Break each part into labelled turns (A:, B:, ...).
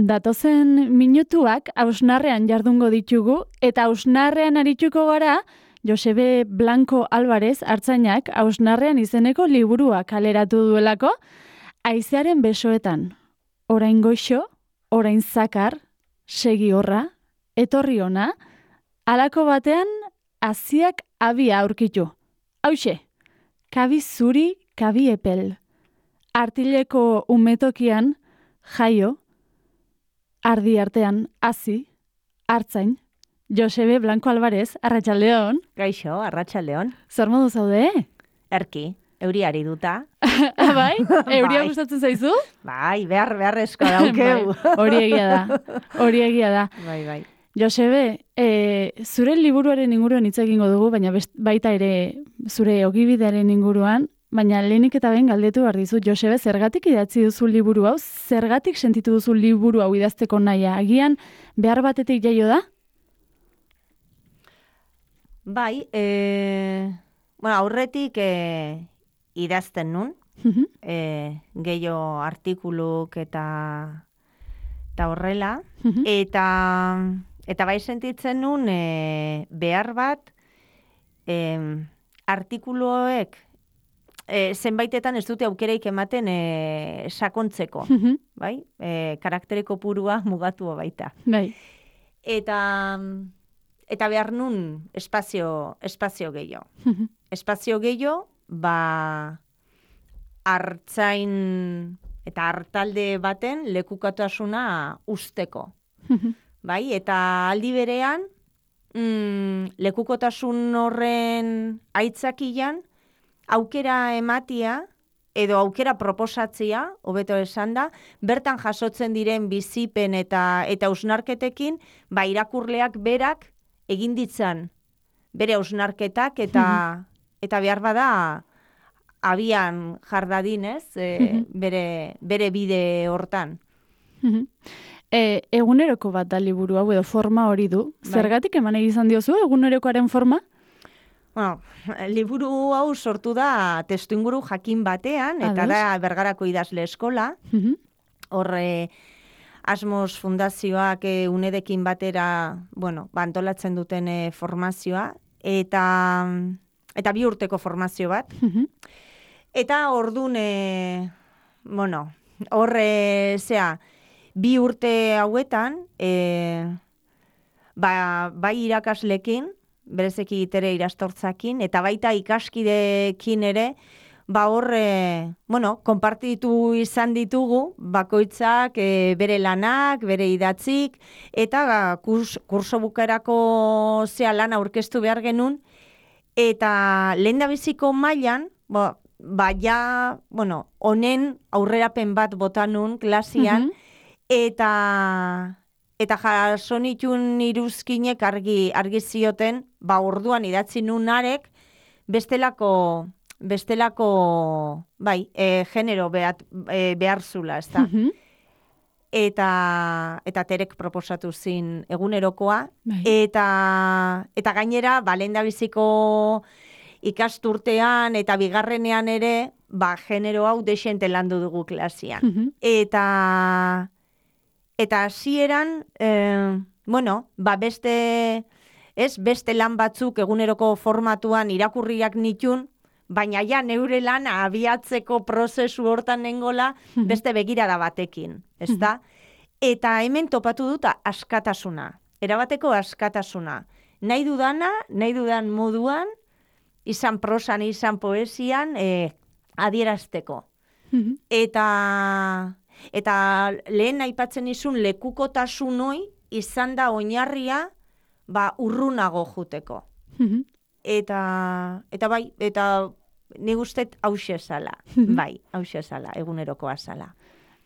A: Datozen minutuak hausnarrean jardungo ditugu, eta hausnarrean arituko gara Josebe Blanco Álvarez artzainak hausnarrean izeneko liburua kaleratu duelako, Haizearen besoetan, orain goixo, orain zakar, segi horra, etorri ona, halako batean haziak abia aurkitu. Hauxe, kabi zuri, kabi epel. Artileko umetokian, jaio, ardi artean, hazi, hartzain, Josebe Blanco Álvarez, arratsaldeon.
B: Gaixo, arratsaldeon.
A: Zer modu zaude?
B: Erki, euriari duta.
A: Bai? Euria gustatzen zaizu?
B: Bai, beharrezko daukeu.
A: Bai, hori egia da.
B: Bai.
A: Josebe, zure liburuaren inguruan hitz egingo dugu, baina baita ere zure ogibidearen inguruan, baina lehenik eta behin galdetu behar dizut, Josebe, zergatik idatzi duzu liburu hau? Zergatik sentitu duzu liburu hau idazteko nahia? Agian behar batetik jaio da?
B: Bai, aurretik idazten nun, gehiago artikuluk eta horrela, eta bai sentitzen nun behar bat artikuluek zenbaitetan ez dute aukereik ematen sakontzeko, bai? Karaktereko purua mugatu baita.
A: Bai.
B: Eta behar nun espazio gehiago. Espazio gehiago, hartzain eta hartalde baten lekukotasuna usteko. Bai, eta aldi berean, lekukotasun horren aitzakian, aukera ematia, edo aukera proposatzea, hobeto esan da, bertan jasotzen diren bizipen eta hausnarketekin, irakurleak berak egin ditzan bere hausnarketak eta behar bada abian jardadinez bere bide hortan.
A: Eguneroko bat da liburu hau edo forma hori du. Zergatik eman egizan diozu egunerokoaren forma?
B: Bueno, liburu hau sortu da testuinguru jakin batean, eta da Bergarako idazle eskola. Horre Asmos Fundazioak unedekin batera, antolatzen duten formazioa, eta 2 urteko formazio bat. Eta ordun, horre, 2 urte hauetan, bai irakaslekin, berezeki itere irastortzakin, eta baita ikaskidekin ere, konpartitu izan ditugu, bakoitzak bere lanak, bere idatzik, eta kurso bukaerako lana aurkeztu behar genuen, eta lehendabiziko mailan, honen aurrerapen bat bota nun klasian, eta jasonitun iruzkinek argi zioten, orduan idatzi nunarek, bestelako genero behar zula, ez da. Eta terek proposatu zin egunerokoa, eta gainera, lehendabiziko ikasturtean eta bigarrenean ere, genero hau desente landu dugu klasian. Eta hasieran, beste lan batzuk eguneroko formatuan irakurriak nitun, baina neure lan abiatzeko prozesu hortan nengola beste begirada batekin, ezta? Eta hemen topatu dut askatasuna, erabateko askatasuna. Nahi dudan moduan, izan prosan, izan poesian, adierazteko. Eta lehen aipatzen izun lekukotasun hoi izan da oinarria urrunago juteko. Eta nik ustet hauxe zala. Bai, hauxe zala, egunerokoa zala.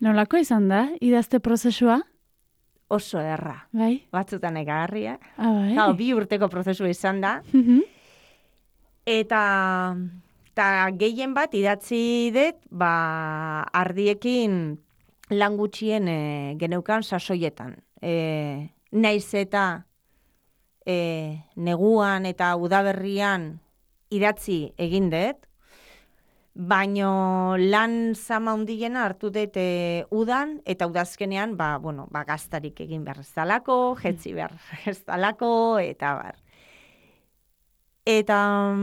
A: Nolako izan da, idazte prozesua?
B: Oso erra.
A: Bai?
B: Batzutan egarria.
A: Bai.
B: 2 urteko prozesua izan da. Eta gehien bat idatzi dut, ardiekin lan gutxien geneukan sasoietan. Naiz eta neguan eta udaberrian idatzi egin dut, Baino lan zama hundiena hartu dut udan, eta udazkenean, gaztarik egin behar ez dalako, jetzi behar ez dalako, eta bar. Eta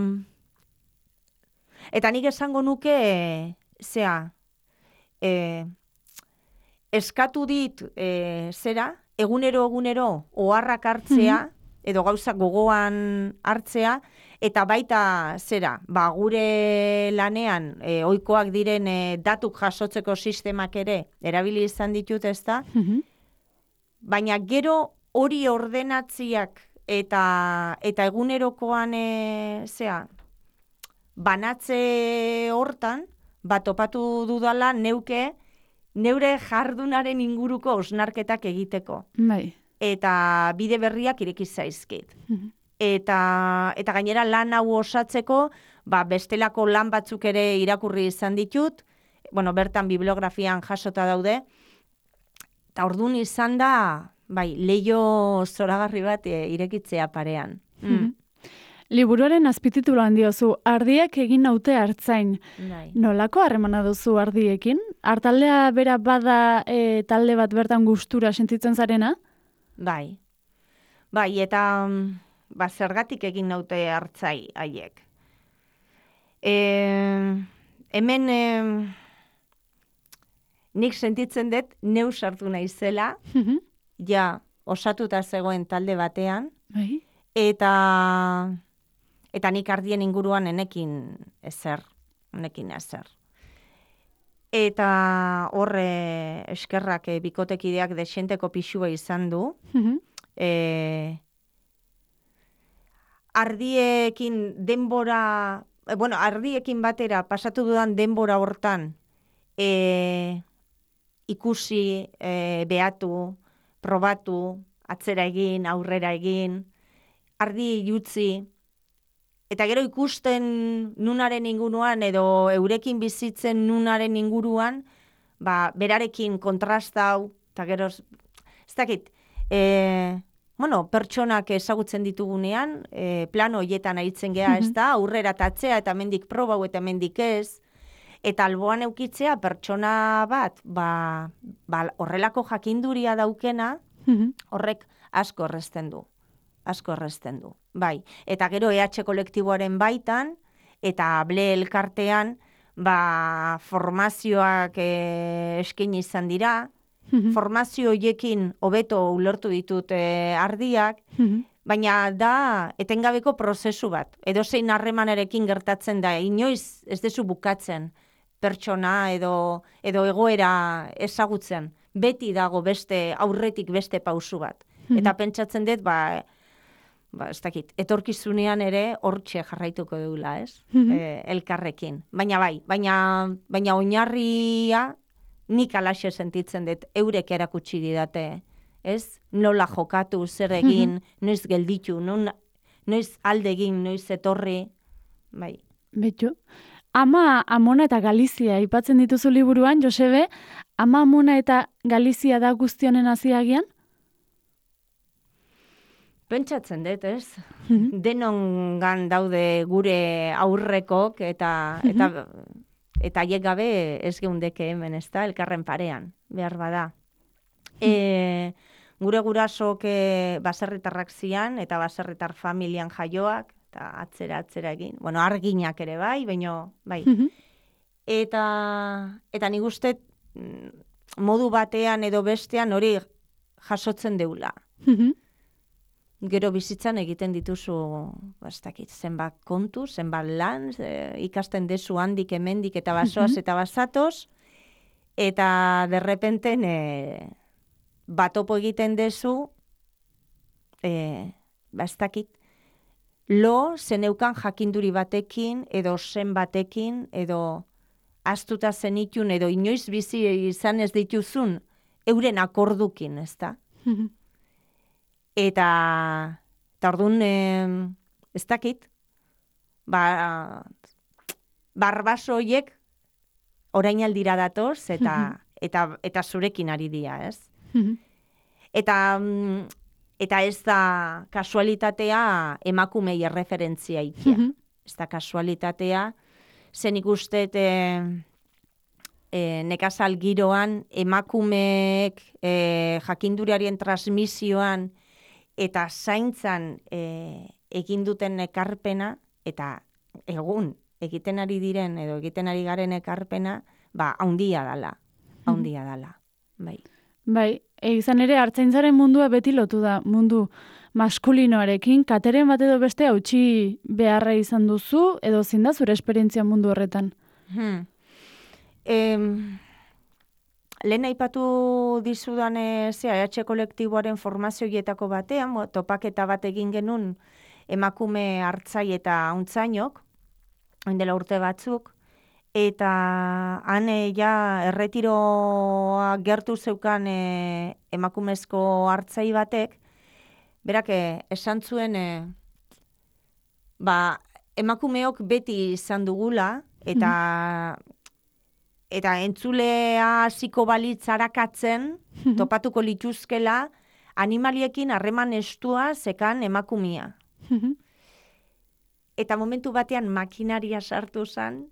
B: nik esango nuke, eskatu dit, egunero, oharrak hartzea, edo gauzak gogoan hartzea, eta baita gure lanean ohikoak diren datuk jasotzeko sistemak ere erabili izan ditut, ezta? Baina gero hori ordenatziak eta egunerokoan banatze hortan, topatu dudala neure jardunaren inguruko osnarketak egiteko.
A: Bai.
B: Eta bide berriak ireki zaizkit. Eta gainera lan hau osatzeko, bestelako lan batzuk ere irakurri izan ditut, bertan bibliografian jasota daude, eta orduan izan da, leiho zoragarri bat irekitzea parean.
A: Liburuaren azpitituluan diozu, ardiak egin naute hartzain. Nolako harremana duzu ardiekin? Artaldea bera bada talde bat bertan gustura sentitzen zarena?
B: Bai, eta zergatik egin naute hartzai haiek. Hemen nik sentitzen dut neu sartu naizela, ja osatuta zegoen talde batean, eta nik ardien inguruan enekin ezer. Eta horre eskerrak bikotekideak desenteko pixua izan du. Ardiekin ardiekin batera pasatu dudan denbora hortan ikusi, behatu, probatu, atzera egin, aurrera egin, ardi utzi, eta gero ikusten nunaren inguruan edo eurekin bizitzen nunaren inguruan, berarekin kontrastau, eta gero, ez dakit, pertsonak ezagutzen ditugunean, plano hoietan aitzen geha, ez da, aurrera tatzea eta mendik probau eta mendik ez, eta alboan eukitzea pertsona bat, horrelako jakinduria daukena, horrek asko erresten du. Bai, eta gero EH kolektiboaren baitan, eta ble elkartean, formazioak eskaini izan dira, formazio hoiekin hobeto ulertu ditut ardiak, baina da etengabeko prozesu bat. Edozein harremanarekin gertatzen da, inoiz ez dezu bukatzen pertsona edo egoera ezagutzen. Beti dago aurretik beste pausu bat. Eta pentsatzen dut, ez dakit, etorkizunean ere hortxe jarraituko dugula, ez? Elkarrekin. Baina oinarria nik alaxe sentitzen dut, eurek erakutsi didate, ez? Nola jokatu, zer egin, noiz gelditu, noiz aldegin, noiz etorri, bai.
A: Betu. Ama, Amona eta Galizia aipatzen dituzu liburuan, Josebe, Ama, Amona eta Galizia da guztionen haziagian?
B: Pentsatzen dut, ez? Denongan daude gure aurrekok eta haiek gabe ez geundeke hemen, ez da, elkarren parean, behar bada. Gure gurasok baserritarrak zian eta baserritar familian jaioak, eta atzera egin. Arginak ere bai, baina bai. Eta nik uste modu batean edo bestean hori jasotzen deula. Gero bizitzan egiten dituzu, zenbat kontu, zenbat lan, ikasten dezu handik hemendik eta basoaz eta basatoz, eta derrepenten batopo egiten dezu, zeneukan jakinduri batekin, edo zen batekin, edo astuta zenitun, edo inoiz bizi izan ez dituzun, euren akordukin, ez da? Eta orduan, ez dakit, barbaso horiek orain aldira datoz, eta zurekin ari dira, ez? Eta ez da kasualitatea emakumei erreferentzia ikia. Ez da kasualitatea zen ikustet nekazal giroan, emakumeek jakinduriarien transmisioan eta zaintzan egin duten ekarpena, eta egun egiten ari diren edo egiten ari garen ekarpena, haundia dala, bai.
A: Bai, izan ere, artzaintzaren mundua beti lotu da, mundu maskulinoarekin, kateren bat edo beste hautsi beharra izan duzu, edo zein da zure esperientzia mundu horretan?
B: Lehen aipatu dizudan EH kolektiboaren formazioietako batean, topaketa bat egin genuen emakume hartzai eta hautzainok, dela urte batzuk, eta han erretiroa gertu zeukan emakumezko hartzai batek, berak esan zuen emakumeok beti izan dugula, eta entzulea hasiko balitz arakatzen, topatuko lituzkela, animaliekin harreman estua zekan emakumia. Eta momentu batean makinaria sartu zen,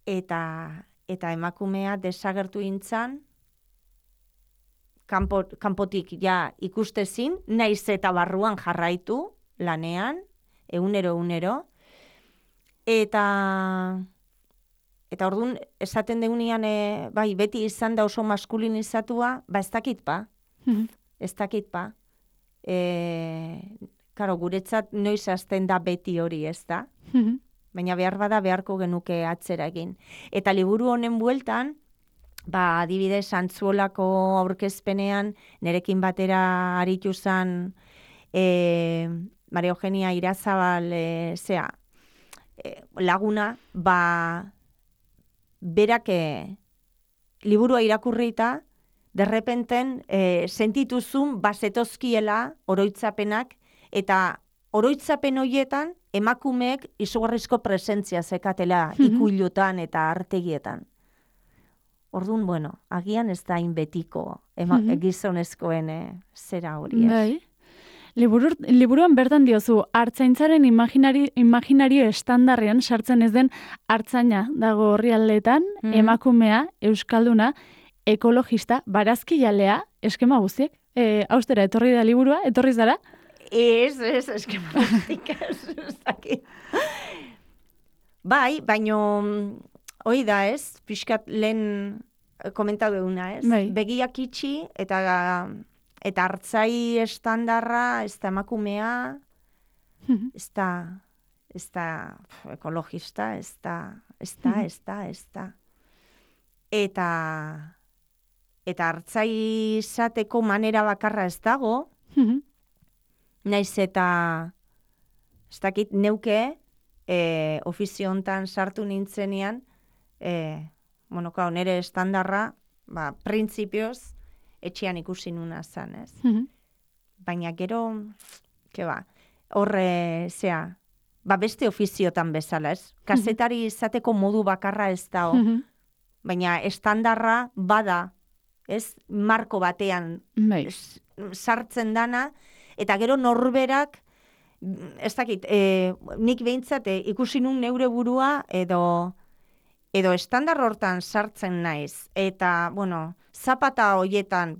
B: eta emakumea desagertu intzan, kanpotik ja ikustezin, naiz eta barruan jarraitu lanean, egunero, eta orduan esaten deunean, bai, beti izan da oso maskulinizatua, ez dakit pa. Karo, guretzat noiz hasten da beti hori, ez da? Baina behar bada beharko genuke atzera egin. Eta liburu honen bueltan, adibidez, Antzuolako aurkezpenean, nerekin batera aritu zen Maria Eugenia Irazabal laguna, berak liburua irakurrita, derrepenten sentituzun bazetozkiela oroitzapenak, eta oroitzapen horietan emakumeek izugarrizko presentzia zekatela ikuilutan eta artegietan. Orduan, agian ez da inbetiko gizonezkoen zera hori.
A: Bai. Liburuan bertan diozu, artzaintzaren imaginario estandarrean sartzen ez den artzaina dago orrialdeetan, emakumea, euskalduna, ekologista, barazkijalea, eskema guztiek. Austera, etorri da liburua, etorri zara?
B: Ez, eskema guztiek, ez dakit. Bai, baino, hoi da ez, pixkat lehen komentatu eguna ez, begiak itxi eta hartzai estandarra, ez da emakumea, ez da ekologista, ez da. Eta hartzai izateko manera bakarra ez dago, naiz eta, ez dakit, neuke, ofizio hontan sartu nintzenean, nire estandarra, printzipioz, etxean ikusi nuna zan, ez? Baina gero, horre, beste ofiziotan bezala, ez? Kazetari izateko modu bakarra ez da, baina estandarra bada, ez? Marko batean sartzen dana, eta gero norberak, ez dakit, nik behintzat ikusi nun neure burua edo estandar hortan sartzen naiz. Eta, zapata hoietan,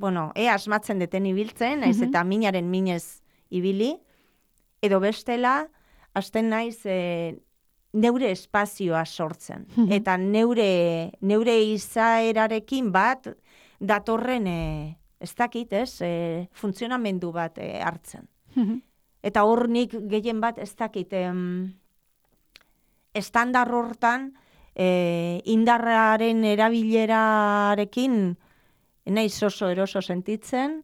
B: asmatzen deten ibiltzen, naiz eta minaren minez ibili, edo bestela, hasten naiz neure espazioa sortzen. Eta neure izaerarekin bat datorren, ez dakit, funtzionamendu bat hartzen. Eta hor nik gehien bat ez dakit, estandar hortan indarraren erabilerarekin naiz oso eroso sentitzen,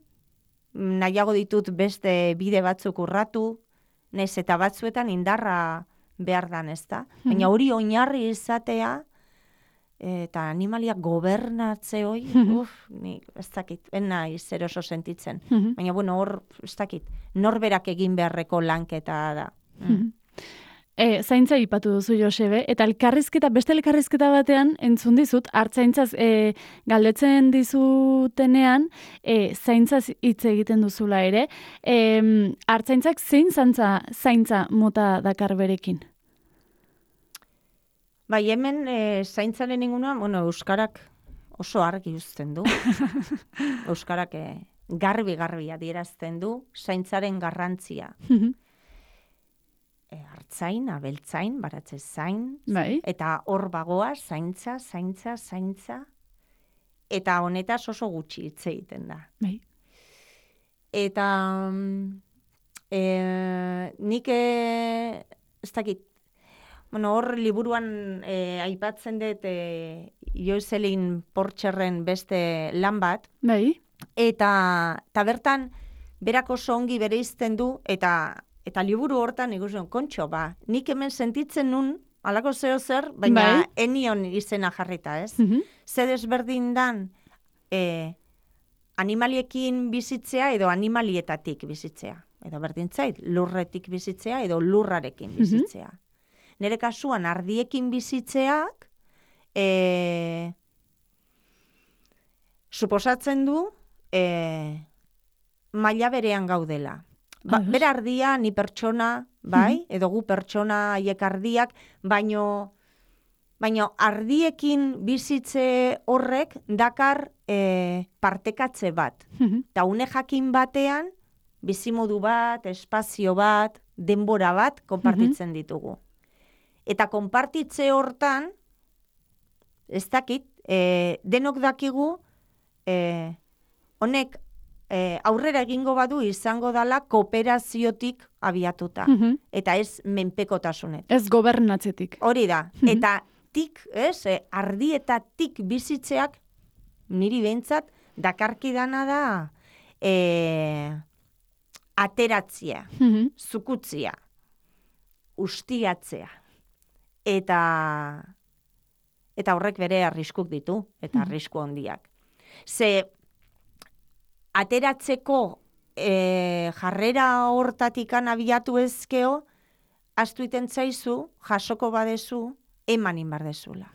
B: nahiago ditut beste bide batzuk urratu, naiz eta batzuetan indarra behar dan, ez da? Baina hori oinarri izatea, eta animaliak gobernatze hoi, nik ez dakit, naiz eroso sentitzen. Baina, hor, ez dakit, norberak egin beharreko lanketa da.
A: Zaintza ipatu duzu, Josebe, eta beste elkarrizketa batean entzun dizut, artzaintzaz galdetzen dizutenean, zaintzaz hitz egiten duzula ere. Artzaintzak zein zaintza mota dakar berekin?
B: Bai, hemen zaintzaren inguruan, euskarak oso argi uzten du. Euskarak garbi adierazten du zaintzaren garrantzia. Hartzain, abeltzain, baratze zain,
A: Bai.
B: eta hor bagoa, zaintza, eta honetaz oso gutxi hitz egiten da.
A: Bai.
B: Eta nik ez dakit, hor liburuan aipatzen dut Jocelyn Porcherren beste lan bat,
A: Bai.
B: eta bertan berak oso ongi bereizten du, eta liburu hortan ikusten, kontxo, nik hemen sentitzen nun, alako zeo zer, baina enion izena jarrita, ez? Zer desberdin dan animaliekin bizitzea edo animalietatik bizitzea. Edo berdintzait, lurretik bizitzea edo lurrarekin bizitzea. Nere kasuan ardiekin bizitzeak suposatzen du maila berean gaudela. Bera ardia, ni pertsona, bai, edo gu pertsona haiek ardiak, baino ardiekin bizitze horrek dakar partekatze bat. Eta une jakin batean, bizimodu bat, espazio bat, denbora bat, konpartitzen ditugu. Eta konpartitze hortan, ez dakit, denok dakigu, honek aurrera egingo badu izango dala kooperaziotik abiatuta. Eta ez menpekotasunet.
A: Ez gobernatzetik.
B: Hori da. Eta ardietatik bizitzeak, niri behintzat, dakarkidana da ateratzea, zukutzia, ustiatzea. Eta horrek bere arriskuk ditu, eta arrisku handiak. Ze ateratzeko jarrera hortatikan abiatu ezkeo, astu iten zaizu, jasoko badezu, emanin bardezula.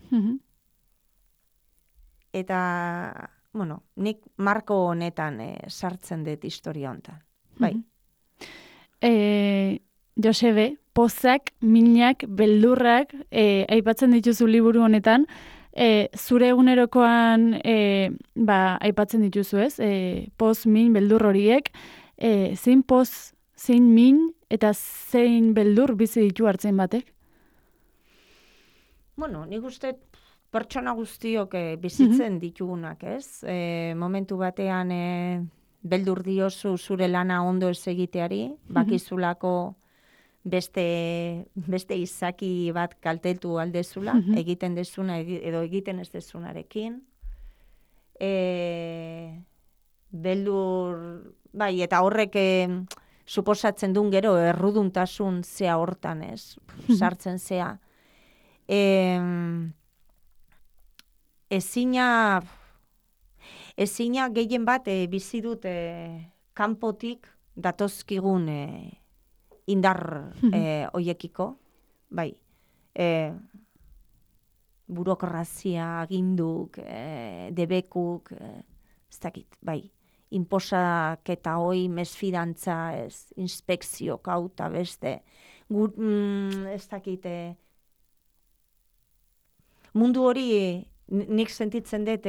B: Eta, nik marko honetan sartzen dut historia honetan. Bai.
A: Josebe, pozak, minak, beldurrak, aipatzen dituzu liburu honetan, zure egunerokoan aipatzen dituzu ez, poz, min, beldur horiek, zein poz, zein min, eta zein beldur bizi ditu hartzen batek?
B: Nik uste pertsona guztiok bizitzen ditugunak, ez? Momentu batean beldur diozu zure lana ondo ez egiteari, bakizulako beste izaki bat kaltetu aldezula, egiten dezuna edo egiten ez dezunarekin. Beldur, bai, eta horrek suposatzen duen gero erruduntasun zea hortan, ez? Sartzen zea. Ezina gehien bat bizi dut kanpotik datozkigun indar hoiekiko, bai, burokrazia, aginduk, debekuk, ez dakit, bai, inposaketa hoi, mesfidantza, inspekzio kauta beste, ez dakit, mundu hori nik sentitzen dut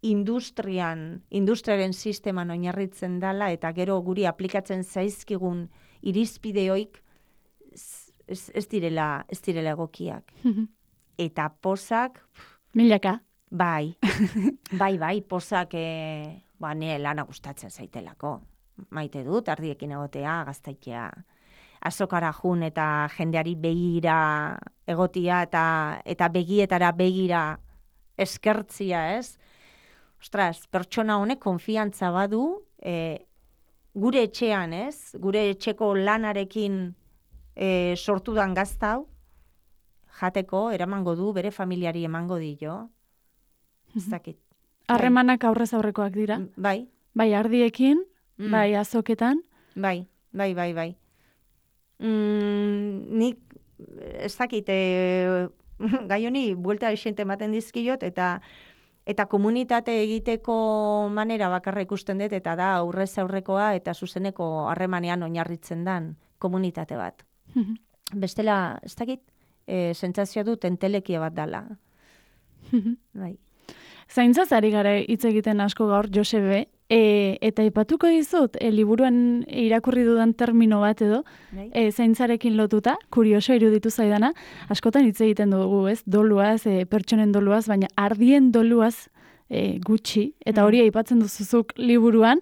B: industriaren sisteman oinarritzen dela eta gero guri aplikatzen zaizkigun irizpideoik ez direla egokiak. Eta pozak...
A: Milaka.
B: Bai, pozak nire lana gustatzen zaitelako. Maite dut, ardiekin egotea, gaztaitea, azokara jun eta jendeari begira egotia eta begietara begira eskertzia, ez? Ostras, pertsona honek konfiantza badu, gure etxean, ez? Gure etxeko lanarekin sortudan gaztau, jateko, eramango du, bere familiari emango dio. Ez dakit.
A: Harremanak aurrez aurrekoak dira?
B: Bai.
A: Bai, ardiekin, bai, azoketan?
B: Bai. Nik, ez dakit, gai honi, buelta esente ematen dizkiot, eta komunitate egiteko manera bakarra ikusten dut, eta da aurrez aurrekoa eta zuzeneko harremanean oinarritzen dan komunitate bat. Bestela, ez dakit, sentsazioa dut entelekia bat dala. Bai.
A: Zaintzaz ari gara hitz egiten asko gaur, Josebe, eta aipatuko dizut, liburuan irakurri dudan termino bat edo, zaintzarekin lotuta, kurioso iruditu zaidana, askotan hitz egiten dugu, ez? Doluaz, pertsonen doluaz, baina ardien doluaz gutxi, eta hori aipatzen duzuzuk liburuan,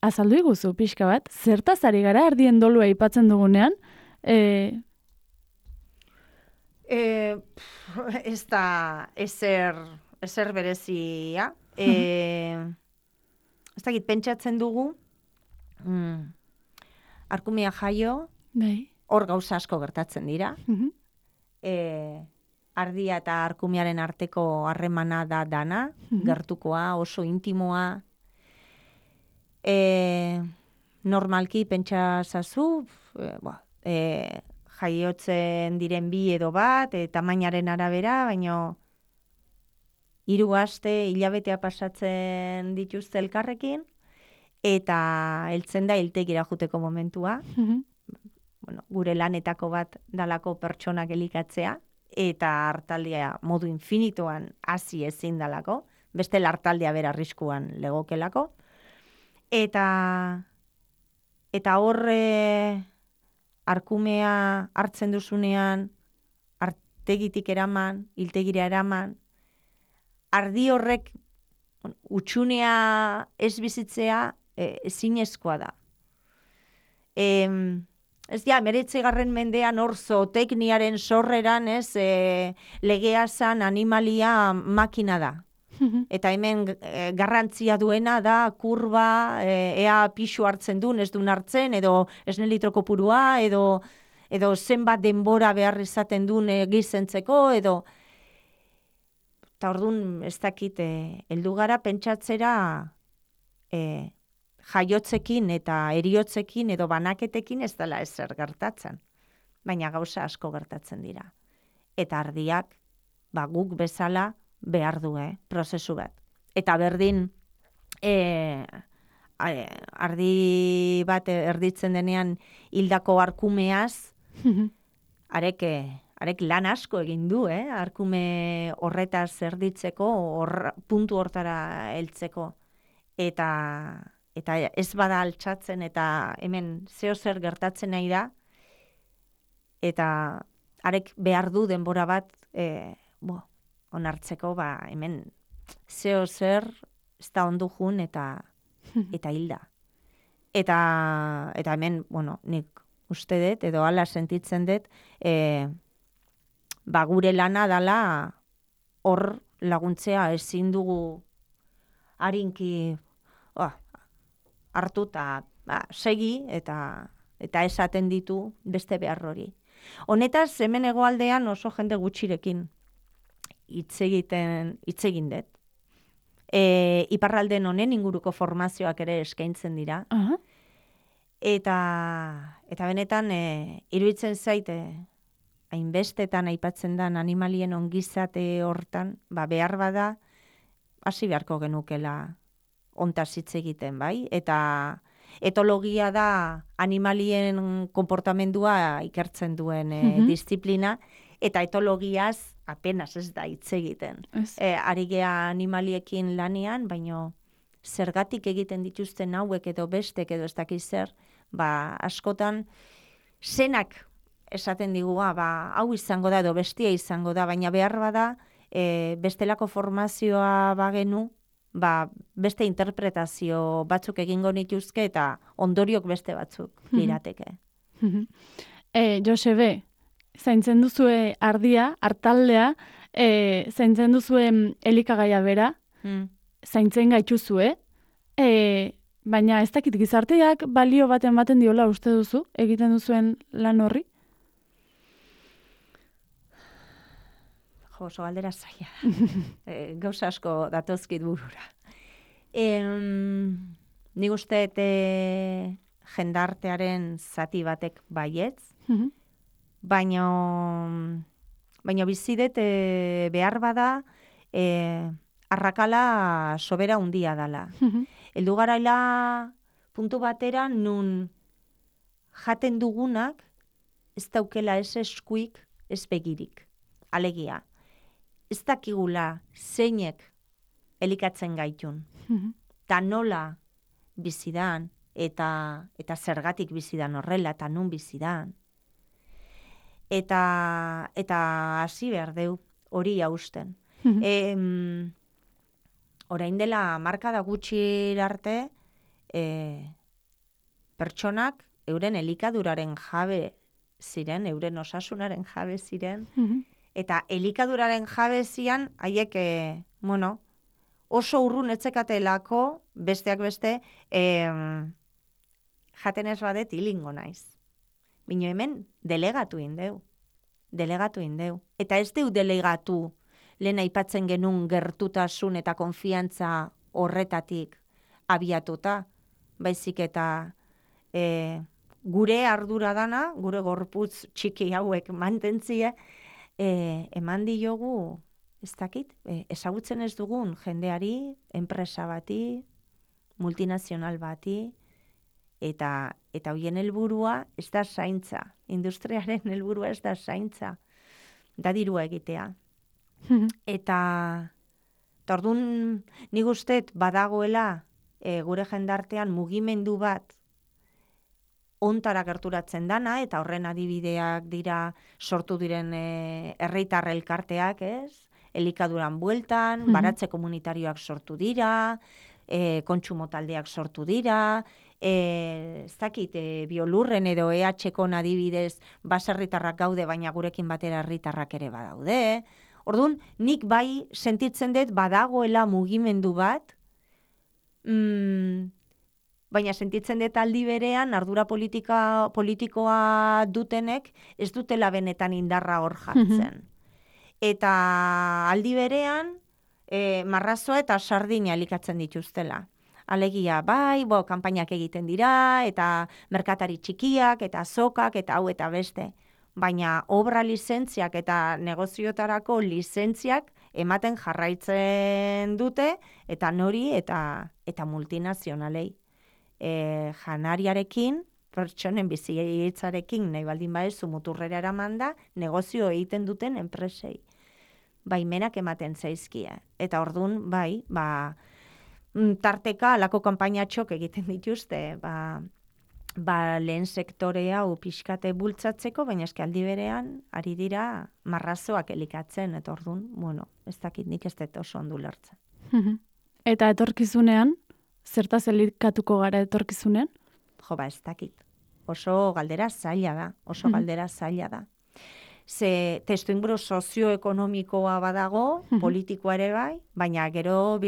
A: azaldu iguzu pixka bat, zertaz ari gara ardien dolua aipatzen dugunean,
B: ez da ezer berezia. Ez dakit, pentsatzen dugu, Arkumea jaio, hor gauza asko gertatzen dira. Ardia eta Arkumearen arteko harremana da dana, gertukoa, oso intimoa. Normalki pentsazazu, jaiotzen diren bi edo bat, tamainaren arabera, baino 3 aste, hilabetea pasatzen dituzte elkarrekin, eta heltzen da hiltegira joteko momentua. Gure lanetako bat dalako pertsonak elikatzea, eta hartaldea modu infinitoan hasi ezin dalako, beste hartaldea bera arriskuan legokelako. Eta horre Arkumea hartzen duzunean, artegitik eraman, hiltegira eraman, ardi horrek utxunea ez bizitzea ezinezkoa da. Ez ja, 19. mendean hor zootekniaren sorreran, ez, legea zan animalia makina da. Eta hemen garrantzia duena da kurba, ea pixu hartzen duen, ez duen hartzen, edo esne litroko purua, edo zenbat denbora behar izaten duen gizentzeko, edo... Eta orduan, ez dakit, heldu gara pentsatzera jaiotzekin eta eriotzekin edo banaketekin ez dela ezer gertatzen. Baina gauza asko gertatzen dira. Eta ardiak, guk bezala, behar du, prozesu bat. Eta berdin, ardi bat erditzen denean hildako Arkumeaz, arek lan asko egin du, Arkume horretaz erditzeko, puntu hortara heltzeko. Eta ez bada altxatzen, eta hemen zeo zer gertatzen nahi da, eta arek behar du denbora bat, onartzeko, hemen zeo zer ez da ondu jun eta hilda. Eta hemen, nik uste dut, edo ala sentitzen dut, gure lana dala hor laguntzea ezin dugu harinki hartu eta segi eta esaten ditu beste behar hori. Honetaz, hemen hegoaldean oso jende gutxirekin hitz egin dut. Iparralden honen inguruko formazioak ere eskaintzen dira. Eta benetan, iruditzen zaite, hainbestetan aipatzen dan animalien ongizate hortan, behar bada, hasi beharko genukela ontaz hitz egiten, bai? Eta etologia da animalien konportamendua ikertzen duen disiplina, eta etologiaz apenas ez da hitz egiten. Ari gea animaliekin lanean, baino zergatik egiten dituzten hauek edo bestek edo ez dakiz zer, askotan zenak esaten digu, hau izango da edo bestia izango da, baina behar bada bestelako formazioa bagenu, beste interpretazio batzuk egingo nituzke eta ondoriok beste batzuk lirateke.
A: Josebe, zaintzen duzue ardia, hartaldea, zaintzen duzue elikagaia bera, zaintzen gaituzue, baina ez dakit gizarteak balio baten diola uste duzu, egiten duzuen lan horri?
B: Oso galdera zaila. Gauza asko datozkit burura. Nik uste jendartearen zati batek baietz, baina bizidet behar bada arrakala sobera handia dala. Heldu garaila puntu batera nun jaten dugunak ez daukela ez eskuik, ez begirik. Alegia, ez dakigula zeinek elikatzen gaitun. Ta nola bizidan, eta zergatik bizidan horrela, eta nun bizidan. Eta hasi behar deu, hori hausten. Orain dela markada gutxi arte, pertsonak euren elikaduraren jabe ziren, euren osasunaren jabe ziren, eta elikaduraren jabe zian, haiek, oso urrun etzekatelako, besteak beste, jaten ez badet hilingo naiz. Bino hemen delegatu indeu. Eta ez deu delegatu lehen aipatzen genuen gertutasun eta konfiantza horretatik abiatuta, baizik eta gure ardura dana, gure gorputz txiki hauek mantentzie, eman diogu, ez dakit, ezagutzen ez dugun jendeari, enpresa bati, multinazional bati, eta hoien helburua ez da zaintza. Industriaren helburua ez da zaintza. Da dirua egitea. Eta orduan nik usteet badagoela gure jendartean mugimendu bat ontara gerturatzen dana, eta horren adibideak dira sortu diren herritar elkarteak, ez? Elikaduran bueltan, baratze komunitarioak sortu dira, kontsumo taldeak sortu dira, ez dakit, Biolurren edo EH-kon adibidez baserritarrak gaude, baina gurekin batera herritarrak ere badaude. Orduan, nik bai sentitzen dut badagoela mugimendu bat, baina sentitzen dut aldi berean ardura politikoa dutenek ez dutela benetan indarra hor jartzen. Eta aldi berean marrazoa eta sardina elikatzen dituztela. Alegia, bai, kanpainak egiten dira, eta merkatari txikiak, eta azokak, eta hau eta beste. Baina obra lizentziak eta negoziotarako lizentziak ematen jarraitzen dute, eta nori eta multinazionalei. Janariarekin, pertsonen bizitzarekin, nahi baldin baezu muturrera eramanda, negozio egiten duten enpresei. Baimenak ematen zaizkia. Eta orduan, bai, tarteka alako kanpainatxok egiten dituzte, lehen sektore hau pixkate bultzatzeko, baina eski aldi berean, ari dira marrazoak elikatzen, eta orduan, ez dakit nik ez dut oso ondu lertzen.
A: Eta etorkizunean, zertaz elikatuko gara etorkizunean?
B: Ez dakit. Oso galdera zaila da. Ze testuinguru sozioekonomikoa badago, politikoa ere bai, baina gero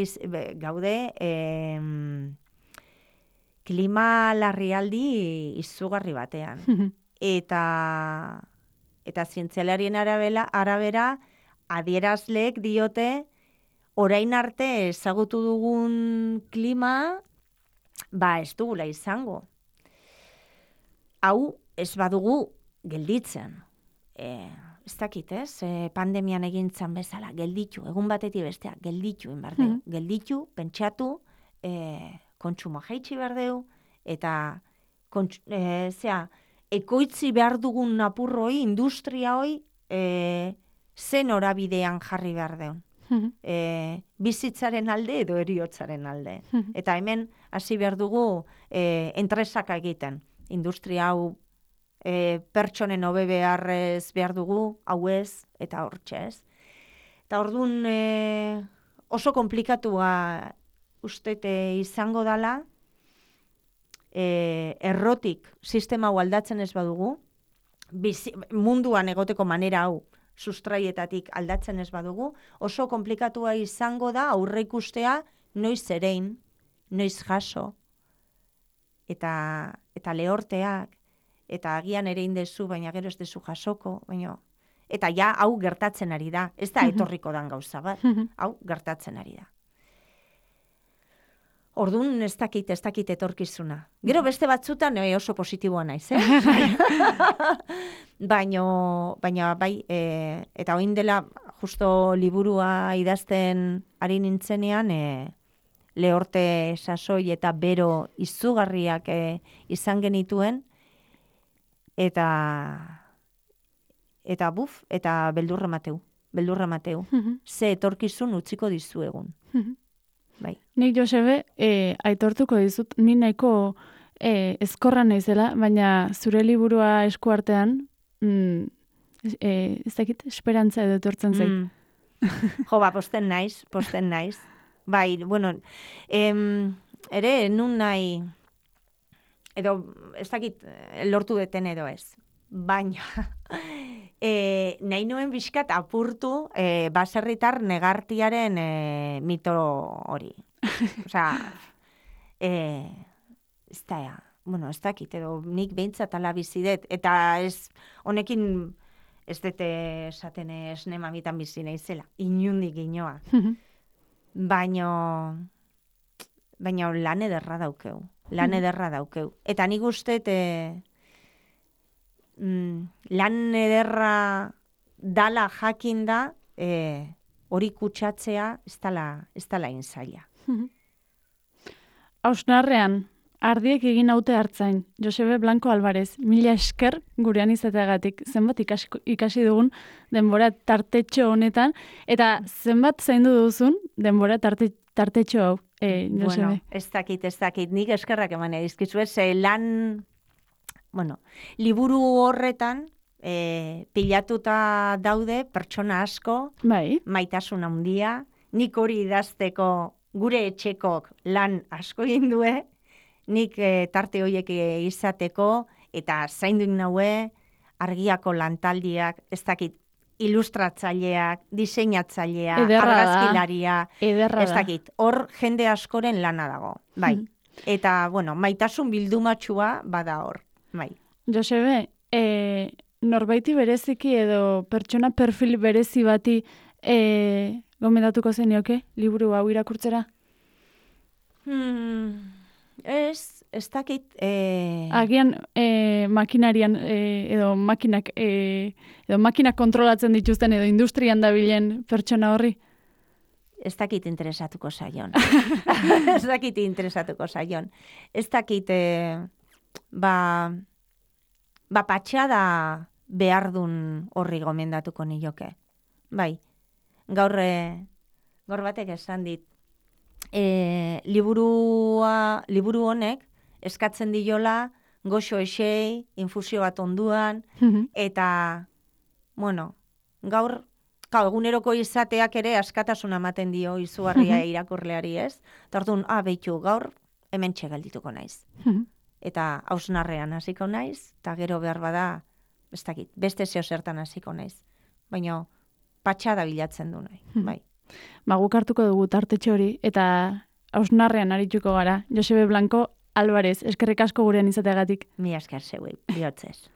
B: gaude klima larrialdi izugarri batean. Eta zientzialarien arabera adierazleek diote orain arte ezagutu dugun klima ez dugula izango. Hau ez badugu gelditzen. Ez dakit, pandemian egintzan bezala, gelditu, egun batetik bestea, gelditu inbardeu. Gelditu, pentsatu, kontsumo jaitsi berdeu, eta ekoitzi behar dugun apurroi, industria hoi, zen horabidean jarri behar deun. Bizitzaren alde edo heriotzaren alde. Eta hemen hasi behar dugu entresaka egiten. Industria hau pertsonen hobe beharrez behar dugu, hau ez, eta hortxe ez. Eta orduan oso komplikatua ustete izango dala, errotik sistema hau aldatzen ez badugu, munduan egoteko manera hau sustraietatik aldatzen ez badugu, oso komplikatua izango da aurre ikustea noiz erein, noiz jaso, eta lehorteak, eta agian ere indezu, baina gero ez dezu jasoko, eta ja hau gertatzen ari da, ez da etorriko dan gauza bat, hau gertatzen ari da. Orduan ez dakit etorkizuna. Gero beste batzutan oso positiboa naiz, Baina bai, eta oin dela justo liburua idazten ari nintzenean, lehorte sasoi eta bero izugarriak izan genituen, eta eta beldurra mateu. Ze etorkizun utziko dizuegun. Bai.
A: Nik, Josebe, aitortuko dizut, ni nahiko ezkorra naizela, baina zure liburua eskuartean, ez dakit, esperantza edo etortzen zait.
B: Jo, posten naiz. Bai, bueno, ere, nun nahi, edo, ez dakit, lortu deten edo ez. Baina, nahi nuen bizkat apurtu baserritar negartiaren mito hori. Osea, ez dakit, edo nik behintzat ala bizidet, eta ez, honekin ez dute esaten esne mamitan bizi naizela, inundik inoa. Baina lan ederra daukeu. Eta nik uste, lan ederra dala jakinda, hori kutsatzea ez dala inzaila.
A: Hausnarrean, ardiek egin haute hartzain, Josebe Blanco Alvarez, 1000 esker gurean izateagatik, zenbat ikasi dugun denbora tartetxo honetan, eta zenbat zaindu duzun denbora tartetxo hau, Josebe.
B: Bueno, ez dakit, nik eskerrak eman edizkizu, liburu horretan pilatuta daude pertsona asko,
A: bai.
B: Maitasun handia, nik hori idazteko gure etxekok lan asko egin due, nik tarte horiek izateko, eta zainduik naue, argiako lantaldiak, ez dakit, ilustratzaileak, diseinatzailea, argazkilaria, ez dakit, hor jende askoren lana dago, bai. Eta, maitasun bildumatxua bada hor, bai.
A: Josebe, norbaiti bereziki edo pertsona perfil berezi bati gomendatuko zenioke, liburu hau irakurtzera?
B: Ez dakit...
A: Agian makinarian edo makinak kontrolatzen dituzten edo industrian dabilen pertsona horri?
B: Ez dakit interesatuko zaion. Ez dakit patxada behar dun horri gomendatuko nioke. Bai, gaur batek esan dit, liburu honek eskatzen diola goxo esei, infusio bat onduan, eta, gaur, eguneroko izateak ere askatasuna ematen dio izugarria irakurleari, ez? Tartun, behitu, gaur hemen txegeldituko naiz. Eta hausnarrean hasiko naiz, eta gero behar bada, ez dakit, beste zeo zertan hasiko naiz. Baina, patxada bilatzen du nahi, bai.
A: Guk hartuko dugu tartetxo hori, eta hausnarrean arituko gara. Josebe Blanco Alvarez, eskerrik asko gurean izateagatik.
B: Mi esker zeuei, bihotzez.